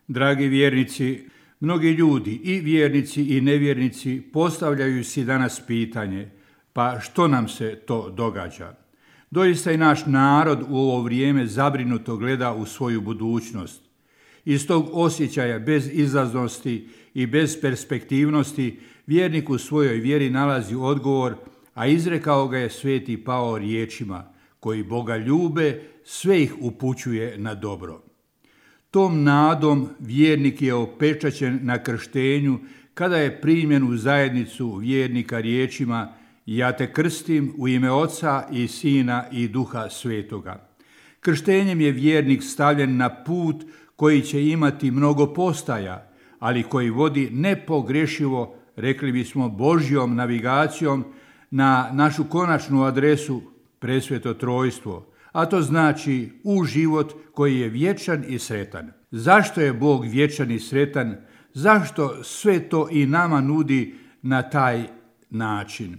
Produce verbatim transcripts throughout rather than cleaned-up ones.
Dragi vjernici, mnogi ljudi i vjernici i nevjernici postavljaju si danas pitanje, pa što nam se to događa? Doista i naš narod u ovo vrijeme zabrinuto gleda u svoju budućnost. Iz tog osjećaja bez izlaznosti i bez perspektivnosti vjernik u svojoj vjeri nalazi odgovor, a izrekao ga je sveti Pao riječima: koji Boga ljube, sve ih upućuje na dobro. Tom nadom vjernik je opečaćen na krštenju kada je primljen u zajednicu vjernika riječima: ja te krstim u ime Oca i Sina i Duha Svetoga. Krštenjem je vjernik stavljen na put koji će imati mnogo postaja, ali koji vodi nepogrešivo, rekli bismo, Božjom navigacijom na našu konačnu adresu, presveto trojstvo, a to znači u život koji je vječan i sretan. Zašto je Bog vječan i sretan? Zašto sve to i nama nudi na taj način?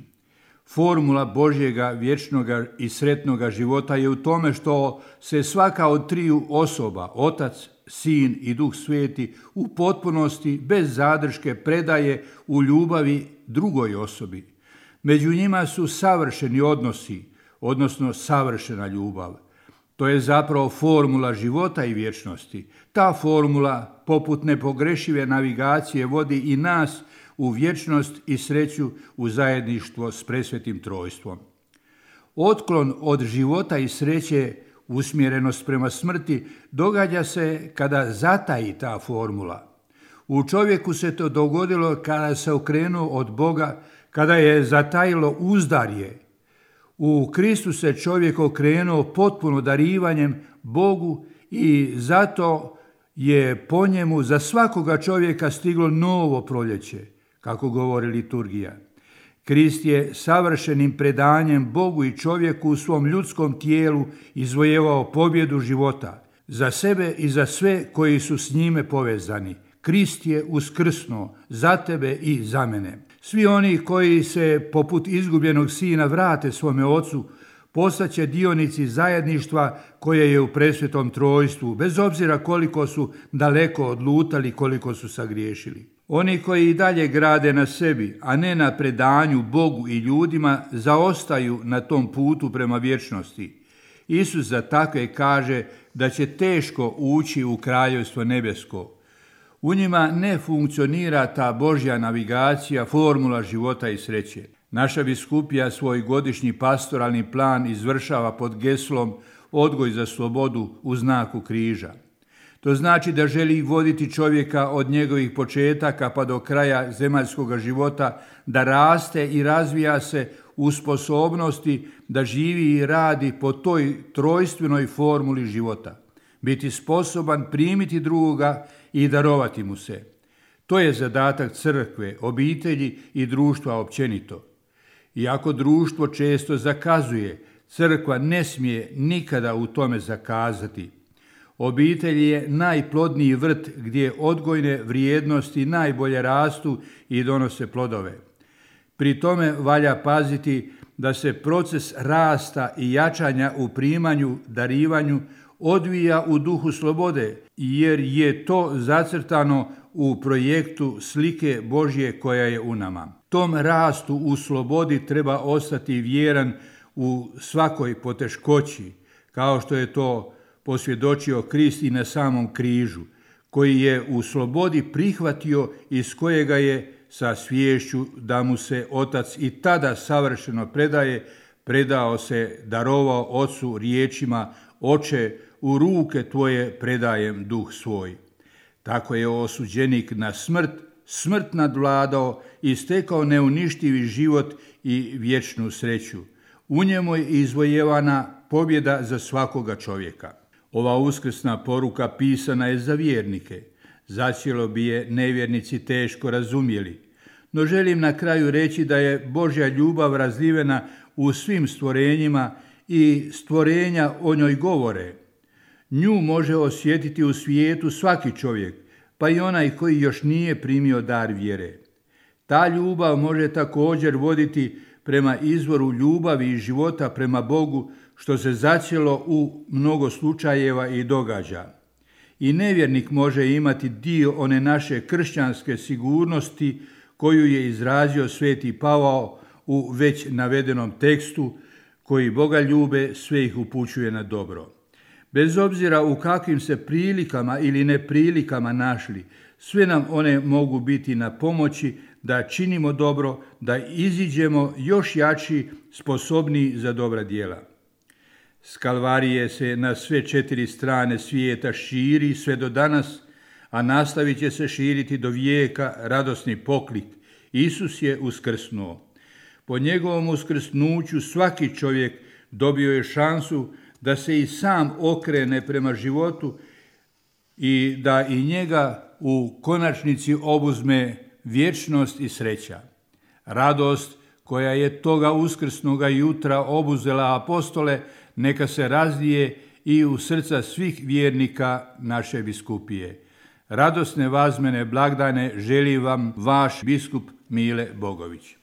Formula Božjega vječnoga i sretnoga života je u tome što se svaka od triju osoba, Otac, Sin i Duh Sveti, u potpunosti, bez zadrške, predaje u ljubavi drugoj osobi. Među njima su savršeni odnosi, odnosno savršena ljubav. To je zapravo formula života i vječnosti. Ta formula, poput nepogrešive navigacije, vodi i nas u vječnost i sreću u zajedništvo s presvetim trojstvom. Otklon od života i sreće, usmjerenost prema smrti, događa se kada zataji ta formula. U čovjeku se to dogodilo kada se okrenuo od Boga, kada je zatajilo uzdarje. U Kristu se čovjek okrenuo potpuno darivanjem Bogu i zato je po njemu za svakoga čovjeka stiglo novo proljeće, kako govori liturgija. Krist je savršenim predanjem Bogu i čovjeku u svom ljudskom tijelu izvojevao pobjedu života za sebe i za sve koji su s njime povezani. Krist je uskrsnuo za tebe i za mene. Svi oni koji se poput izgubljenog sina vrate svome ocu postaće dionici zajedništva koje je u presvetom trojstvu, bez obzira koliko su daleko odlutali, koliko su sagriješili. Oni koji i dalje grade na sebi, a ne na predanju Bogu i ljudima, zaostaju na tom putu prema vječnosti. Isus za takve kaže da će teško ući u kraljevstvo nebesko. U njima ne funkcionira ta Božja navigacija, formula života i sreće. Naša biskupija svoj godišnji pastoralni plan izvršava pod geslom odgoj za slobodu u znaku križa. To znači da želi voditi čovjeka od njegovih početaka pa do kraja zemaljskog života, da raste i razvija se u sposobnosti da živi i radi po toj trojstvenoj formuli života. Biti sposoban primiti drugoga i darovati mu se. To je zadatak crkve, obitelji i društva općenito. Iako društvo često zakazuje, crkva ne smije nikada u tome zakazati. Obitelj je najplodniji vrt gdje odgojne vrijednosti najbolje rastu i donose plodove. Pri tome valja paziti da se proces rasta i jačanja u primanju, darivanju odvija u duhu slobode, jer je to zacrtano u projektu slike Božje koja je u nama. Tom rastu u slobodi treba ostati vjeran u svakoj poteškoći, kao što je to posvjedočio Krist i na samom križu, koji je u slobodi prihvatio i s kojega je sa sviješću da mu se Otac i tada savršeno predaje, predao se, darovao Ocu riječima: Oče, u ruke tvoje predajem duh svoj. Tako je osuđenik na smrt, smrt nadvladao i stekao neuništivi život i vječnu sreću. U njemu je izvojevana pobjeda za svakoga čovjeka. Ova uskrsna poruka pisana je za vjernike. Zacijelo bi je nevjernici teško razumjeli. No želim na kraju reći da je Božja ljubav razlivena u svim stvorenjima i stvorenja o njoj govore. Nju može osjetiti u svijetu svaki čovjek, pa i onaj koji još nije primio dar vjere. Ta ljubav može također voditi prema izvoru ljubavi i života prema Bogu, što se zacijelo u mnogo slučajeva i događa. I nevjernik može imati dio one naše kršćanske sigurnosti koju je izrazio sveti Pavao u već navedenom tekstu, koji Boga ljube, sve ih upućuje na dobro. Bez obzira u kakvim se prilikama ili neprilikama našli, sve nam one mogu biti na pomoći da činimo dobro, da iziđemo još jači, sposobniji za dobra djela. S Kalvarije se na sve četiri strane svijeta širi sve do danas, a nastavit će se širiti do vijeka radosni poklik. Isus je uskrsnuo. Po njegovom uskrsnuću svaki čovjek dobio je šansu da se i sam okrene prema životu i da i njega u konačnici obuzme vječnost i sreća. Radost koja je toga uskrsnoga jutra obuzela apostole, neka se razlije i u srca svih vjernika naše biskupije. Radosne vazmene blagdane želi vam vaš biskup Mile Bogović.